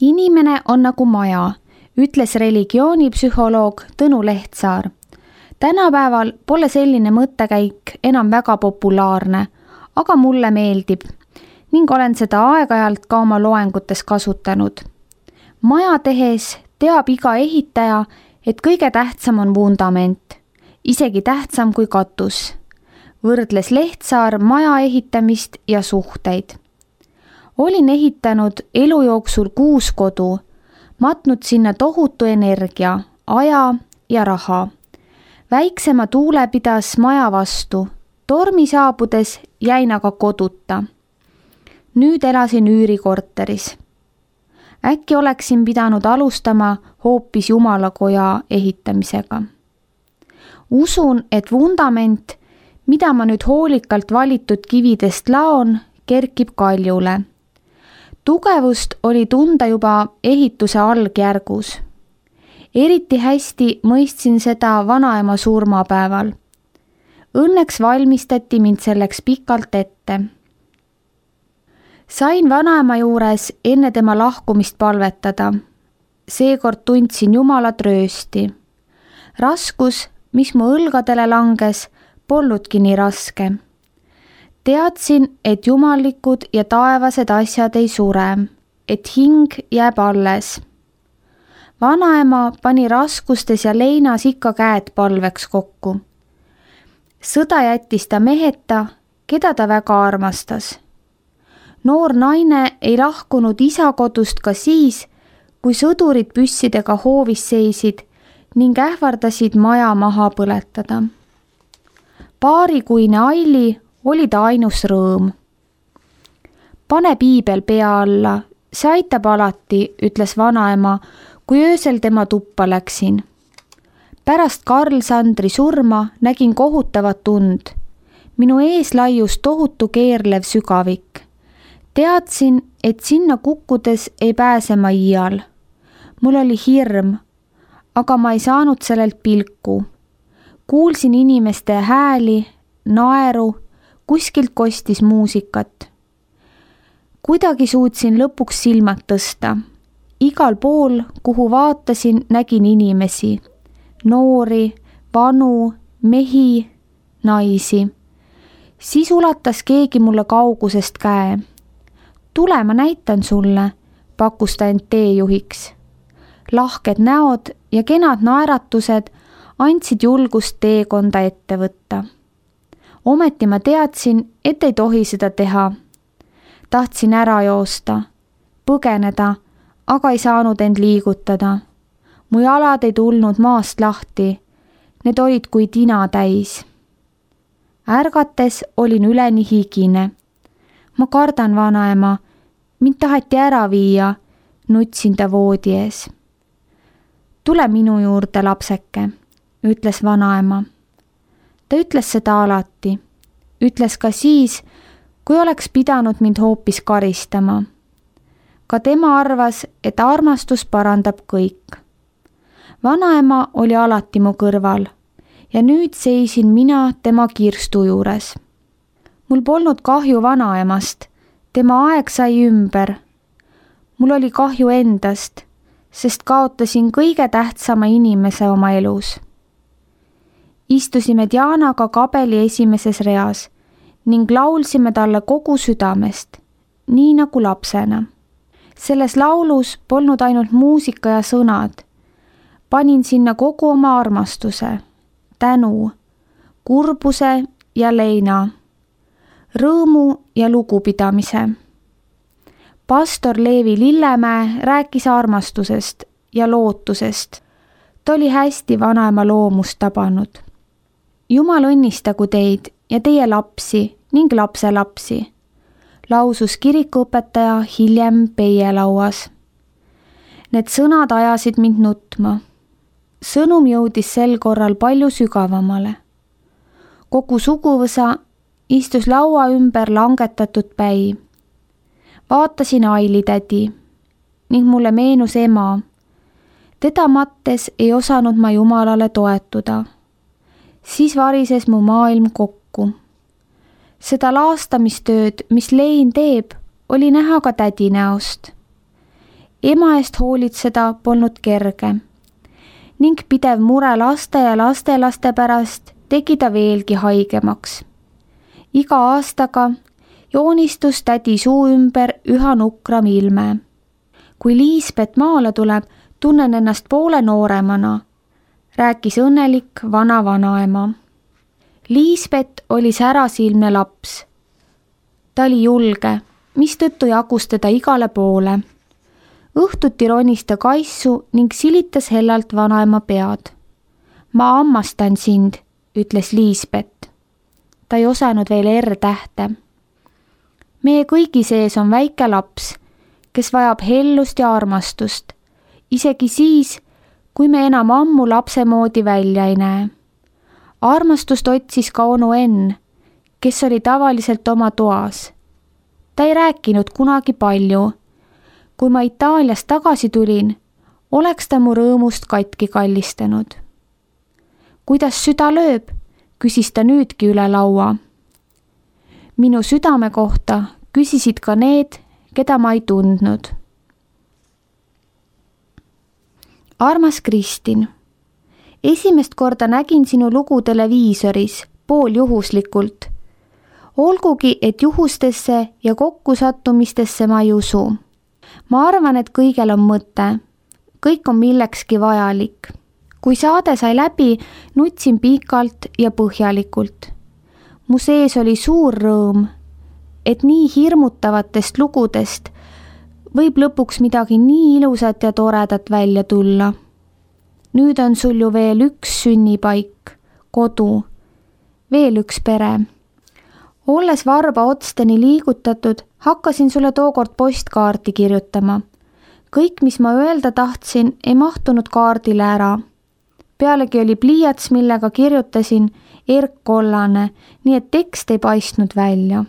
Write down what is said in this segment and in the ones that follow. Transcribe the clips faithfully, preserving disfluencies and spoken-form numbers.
Inimene on nagu maja, ütles religioonipsühholoog Tõnu Lehtsaar. Tänapäeval pole selline mõttekäik enam väga populaarne, aga mulle meeldib ning olen seda aeg-ajalt ka oma loengutes kasutanud. Maja tehes teab iga ehitaja, et kõige tähtsam on vundament, isegi tähtsam kui katus. Võrdles Lehtsaar maja ehitamist ja suhteid. Olin ehitanud elu jooksul kuus kodu, matnud sinna tohutu energia, aja ja raha. Väiksema tuule pidas maja vastu, tormi saabudes jäin aga koduta. Nüüd elasin üürikorteris. Äkki oleksin pidanud alustama hoopis Jumalakoja ehitamisega. Usun, et vundament, mida ma nüüd hoolikalt valitud kividest laon, kerkib kaljule. Tugevust oli tunda juba ehituse algjärgus. Eriti hästi mõistsin seda vanaema surmapäeval. Õnneks valmistati mind selleks pikalt ette. Sain vanaema juures enne tema lahkumist palvetada. Seekord tundsin Jumala tröösti. Raskus, mis mu õlgadele langes, polnudki nii raske. Teadsin, et jumallikud ja taevased asjad ei sure, et hing jääb alles. Vanaema pani raskustes ja leinas ikka käed palveks kokku. Sõda jättis ta meheta, keda ta väga armastas. Noor naine ei lahkunud isa kodust ka siis, kui sõdurid püssidega hoovis seisid ning ähvardasid maja maha põletada. Paarikuine Aili oli ta ainus rõõm. Pane piibel pea alla, see aitab alati, ütles vanaema, kui öösel tema tuppa läksin. Pärast Karl Sandri surma nägin kohutavat tund. Minu ees laius tohutu keerlev sügavik. Teadsin, et sinna kukkudes ei pääse ma iial. Mul oli hirm, aga ma ei saanud sellelt pilku. Kuulsin inimeste hääli, naeru, kuskilt kostis muusikat. Kuidagi suutsin lõpuks silmad tõsta. Igal pool, kuhu vaatasin, nägin inimesi. Noori, vanu, mehi, naisi. Siis ulatas keegi mulle kaugusest käe. Tule, ma näitan sulle, pakkus ta end teejuhiks. Lahked näod ja kenad naeratused andsid julgust teekonda ette võtta. Ometi ma teadsin, et ei tohi seda teha. Tahtsin ära joosta, põgeneda, aga ei saanud end liigutada. Mu jalad ei tulnud maast lahti, need olid kui tina täis. Ärgates olin üleni higine. Ma kardan vanaema, mind taheti ära viia, nutsin ta voodi ees. Tule minu juurde, lapseke, ütles vanaema. Ta ütles seda alati. Ütles ka siis, kui oleks pidanud mind hoopis karistama. Ka tema arvas, et armastus parandab kõik. Vanaema oli alati mu kõrval ja nüüd seisin mina tema kirstu juures. Mul polnud kahju vanaemast, tema aeg sai ümber. Mul oli kahju endast, sest kaotasin kõige tähtsama inimese oma elus. Istusime Dianaga kabeli esimeses reas ning laulsime talle kogu südamest, nii nagu lapsena. Selles laulus polnud ainult muusika ja sõnad. Panin sinna kogu oma armastuse, tänu, kurbuse ja leina, rõõmu ja lugupidamise. Pastor Leevi Lillemäe rääkis armastusest ja lootusest. Ta oli hästi vanaema loomust tabanud. Jumal õnnistagu teid ja teie lapsi ning lapselapsi, lausus kirikuõpetaja hiljem peielauas. Need sõnad ajasid mind nutma. Sõnum jõudis sel korral palju sügavamale. Kogu suguvõsa istus laua ümber langetatud päi. Vaatasin Aili tädi ning mulle meenus ema. Teda mattes ei osanud ma Jumalale toetuda. Siis varises mu maailm kokku. Seda laastamistööd, mis Lein teeb, oli näha ka tädi näost. ema eest hoolitseda polnud kerge ning pidev mure laste ja lastelaste pärast tegi ta veelgi haigemaks. Iga aastaga joonistus tädi suu ümber üha nukram ilme. Kui Liisbet maale tuleb, tunnen ennast poole nooremana, rääkis õnnelik vana vanaema. Liisbet oli särasilmne laps. Ta oli julge, mistõttu jagus teda igale poole. Õhtuti ronis ta kaisu ning silitas hellalt vanaema pead. Ma hammastan sind, ütles Liisbet. Ta ei osanud veel R-tähte. Meie kõigi sees on väike laps, kes vajab hellust ja armastust, isegi siis, kui me enam ammu lapse moodi välja ei näe. Armastust otsis ka onu Enn, kes oli tavaliselt oma toas. Ta ei rääkinud kunagi palju. Kui ma Itaaliast tagasi tulin, oleks ta mu rõõmust katki kallistanud. Kuidas süda lööb, küsis ta nüüdki üle laua. Minu südame kohta küsisid ka need, keda ma ei tundnud. Armas Kristin, esimest korda nägin sinu lugu televiisoris, pool juhuslikult. Olgugi, et juhustesse ja kokkusattumistesse ma ei usu. Ma arvan, et kõigel on mõte. Kõik on millekski vajalik. Kui saade sai läbi, nutsin pikalt ja põhjalikult. Mu sees oli suur rõõm, et nii hirmutavatest lugudest võib lõpuks midagi nii ilusat ja toredat välja tulla. Nüüd on sul ju veel üks sünnipaik, kodu, veel üks pere. Olles varba otsteni liigutatud, hakkasin sulle tookord postkaarti kirjutama. Kõik, mis ma öelda tahtsin, ei mahtunud kaardile ära. Pealegi oli pliiats, millega kirjutasin erkkollane, nii et tekst ei paistnud välja.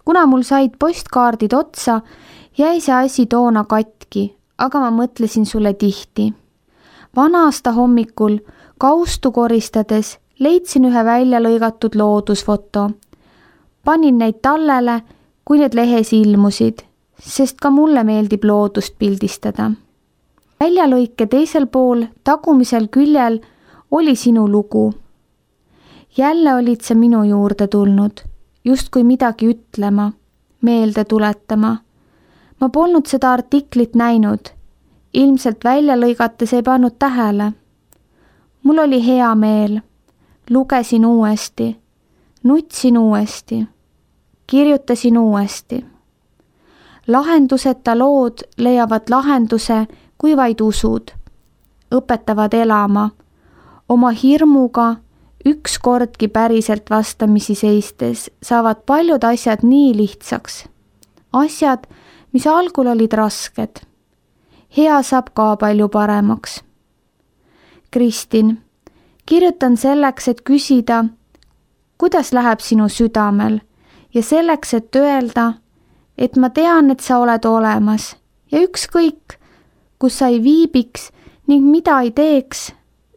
Kuna mul said postkaardid otsa, jäi see asi toona katki, aga ma mõtlesin sulle tihti. Vana-aasta hommikul kaustu koristades leidsin ühe välja lõigatud loodusfoto. Panin neid tallele, kui need lehes ilmusid, sest ka mulle meeldib loodust pildistada. Väljalõike teisel pool, tagumisel küljel, oli sinu lugu. Jälle olid sa minu juurde tulnud, justkui midagi ütlema, meelde tuletama. Ma polnud seda artiklit näinud, ilmselt välja lõigates ei pannud tähele. Mul oli hea meel, lugesin uuesti, nutsin uuesti, kirjutasin uuesti. Lahenduseta lood leiavad lahenduse, kui vaid usud, õpetavad elama, oma hirmuga ükskordki päriselt vastamisi seistes saavad paljud asjad nii lihtsaks. Asjad, mis algul olid rasked. Hea saab ka palju paremaks. Kristin, kirjutan selleks, et küsida, kuidas läheb sinu südamel ja selleks, et öelda, et ma tean, et sa oled olemas ja ükskõik, kus sa ei viibiks ning mida ei teeks,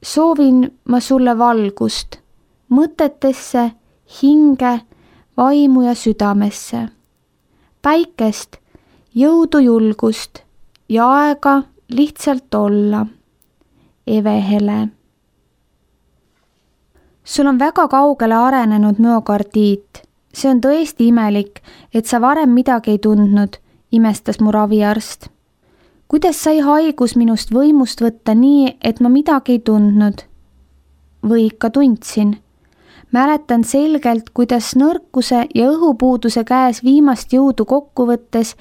soovin ma sulle valgust, mõtetesse, hinge, vaimu ja südamesse. Päikest, jõudu, julgust ja aega lihtsalt olla. Eve Hele. Sul on väga kaugele arenenud müokardiit. See on tõesti imelik, et sa varem midagi ei tundnud, imestas mu raviarst. Kuidas sai haigus minust võimust võtta nii, et ma midagi ei tundnud? Või ikka tundsin. Mäletan selgelt, kuidas nõrkuse ja õhupuuduse käes viimast jõudu kokku võttes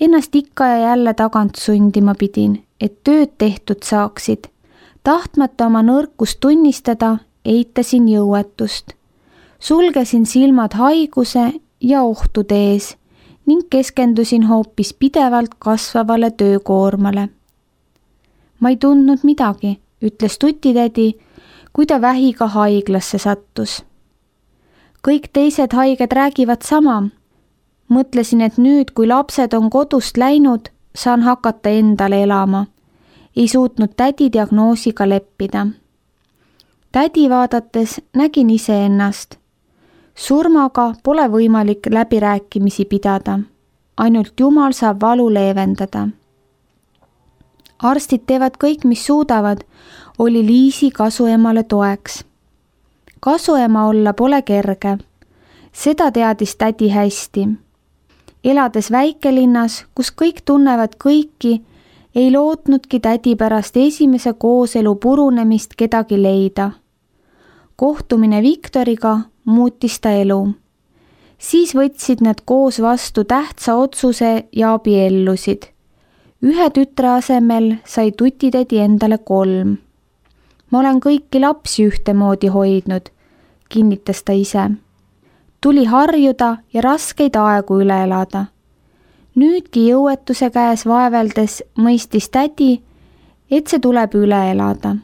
ennast ikka ja jälle tagant sundima pidin, et tööd tehtud saaksid. Tahtmata oma nõrkust tunnistada, eitasin jõuetust. Sulgesin silmad haiguse ja ohtude ees ning keskendusin hoopis pidevalt kasvavale töökoormale. Ma ei tundnud midagi, ütles tutitädi, kui ta vähiga haiglasse sattus. Kõik teised haiged räägivad sama. Mõtlesin, et nüüd, kui lapsed on kodust läinud, saan hakata endale elama. Ei suutnud tädi diagnoosiga leppida. Tädi vaadates nägin iseennast. Surmaga pole võimalik läbirääkimisi pidada. Ainult Jumal saab valu leevendada. arstid teevad kõik, mis suudavad, oli Liisi kasuemale toeks. Kasuema olla pole kerge. Seda teadis tädi hästi. Elades väikelinnas, kus kõik tunnevad kõiki, ei lootnudki tädi pärast esimese kooselu purunemist kedagi leida. Kohtumine Viktoriga muutis ta elu. Siis võtsid nad koos vastu tähtsa otsuse ja abiellusid. Ühe tütre asemel sai tutitädi endale kolm. Ma olen kõiki lapsi ühtemoodi hoidnud, kinnitas ta ise. Tuli harjuda ja raskeid aegu üle elada. Nüüdki jõuetuse käes vaeveldes mõistis tädi, et see tuleb üle elada.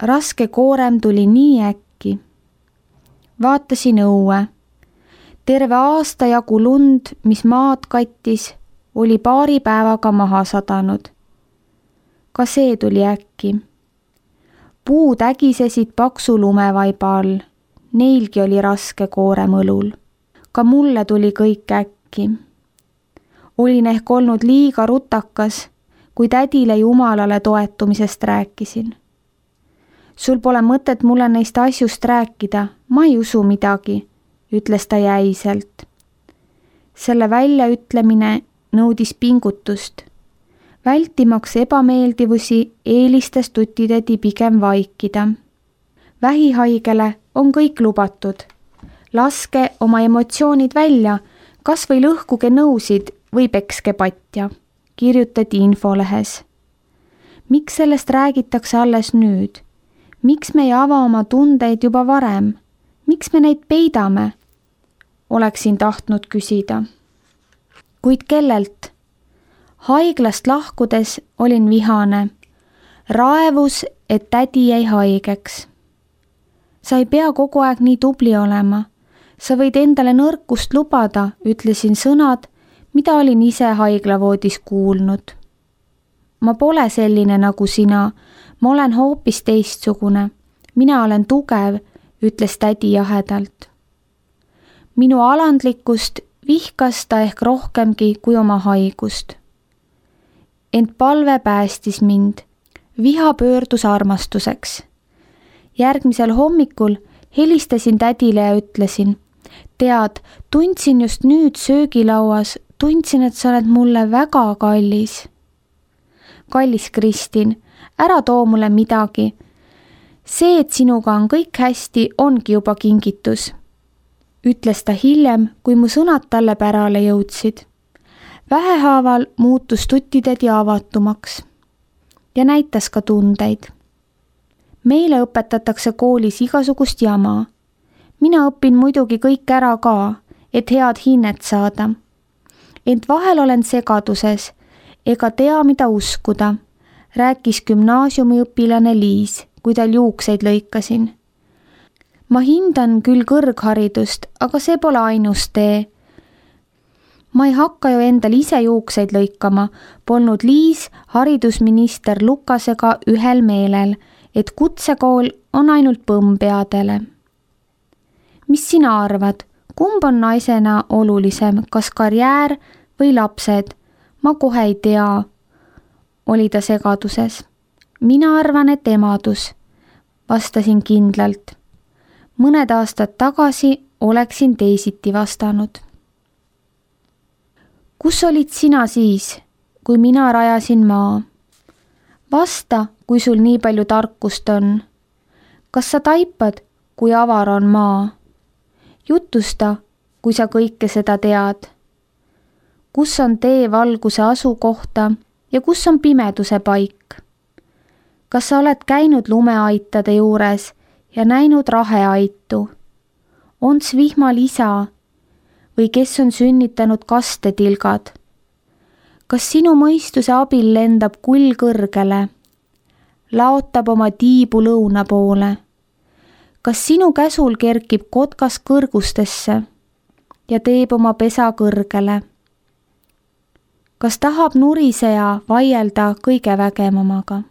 Raske koorem tuli nii äkki. Vaatasin õue. Terve aasta jagu lund, mis maad kattis, oli paari päevaga maha sadanud. Ka see tuli äkki. Puud ägisesid paksu lumevaiba all. Neilgi oli raske koorem õlul. Ka mulle tuli kõik äkki. Olin ehk olnud liiga rutakas, kui tädile Jumalale toetumisest rääkisin. Sul pole mõtet mulle neist asjust rääkida, ma ei usu midagi, ütles ta jäiselt. Selle väljaütlemine nõudis pingutust. Vältimaks ebameeldivusi eelistas tutitädi pigem vaikida. Vähihaigele on kõik lubatud. Laske oma emotsioonid välja, kas või lõhkuge nõusid või pekske patja, kirjutati infolehes. Miks sellest räägitakse alles nüüd? Miks me ei ava oma tundeid juba varem? Miks me neid peidame? Oleksin tahtnud küsida. Kuid kellelt? Haiglast lahkudes olin vihane. Raevus, et tädi jäi haigeks. Sa ei pea kogu aeg nii tubli olema. Sa võid endale nõrkust lubada, ütlesin sõnad, mida olin ise haiglavoodis kuulnud. Ma pole selline nagu sina, ma olen hoopis teistsugune. Mina olen tugev, ütles tädi jahedalt. Minu alandlikkust vihkas ta ehk rohkemgi kui oma haigust. Ent palve päästis mind. Viha pöördus armastuseks. Järgmisel hommikul helistasin tädile ja ütlesin, tead, tundsin just nüüd söögilauas, tundsin, et sa oled mulle väga kallis. Kallis Kristin, ära too mulle midagi. See, et sinuga on kõik hästi, ongi juba kingitus, ütles ta hiljem, kui mu sõnad talle pärale jõudsid. Vähehaaval muutus tutitädi avatumaks ja näitas ka tundeid. Meile õpetatakse koolis igasugust jama. Mina õpin muidugi kõik ära ka, et head hinnet saada. Ent vahel olen segaduses ega tea, mida uskuda, rääkis gümnaasiumiõpilane Liis, kui tal juukseid lõikasin. Ma hindan küll kõrgharidust, aga see pole ainus tee. Ma ei hakka ju endal ise juukseid lõikama, polnud Liis haridusminister Lukasega ühel meelel, et kutsekool on ainult põmmpeadele. Mis sina arvad, kumb on naisena olulisem, kas karjäär või lapsed? Ma kohe ei tea, oli ta segaduses. Mina arvan, et emadus, vastasin kindlalt. Mõned aastad tagasi oleksin teisiti vastanud. Kus olid sina siis, kui mina rajasin maa? Vasta, kui sul nii palju tarkust on. Kas sa taipad, kui avar on maa? Jutusta, kui sa kõike seda tead. Kus on tee valguse asukohta ja kus on pimeduse paik? Kas sa oled käinud lumeaitade juures ja näinud raheaitu? Onts vihmal isa või kes on sünnitanud kastetilgad? Kas sinu mõistuse abil lendab kull kõrgele? Laotab oma tiibu lõuna poole? Kas sinu käsul kerkib kotkas kõrgustesse ja teeb oma pesa kõrgele? Kas tahab nuriseja vaielda kõige vägevamaga?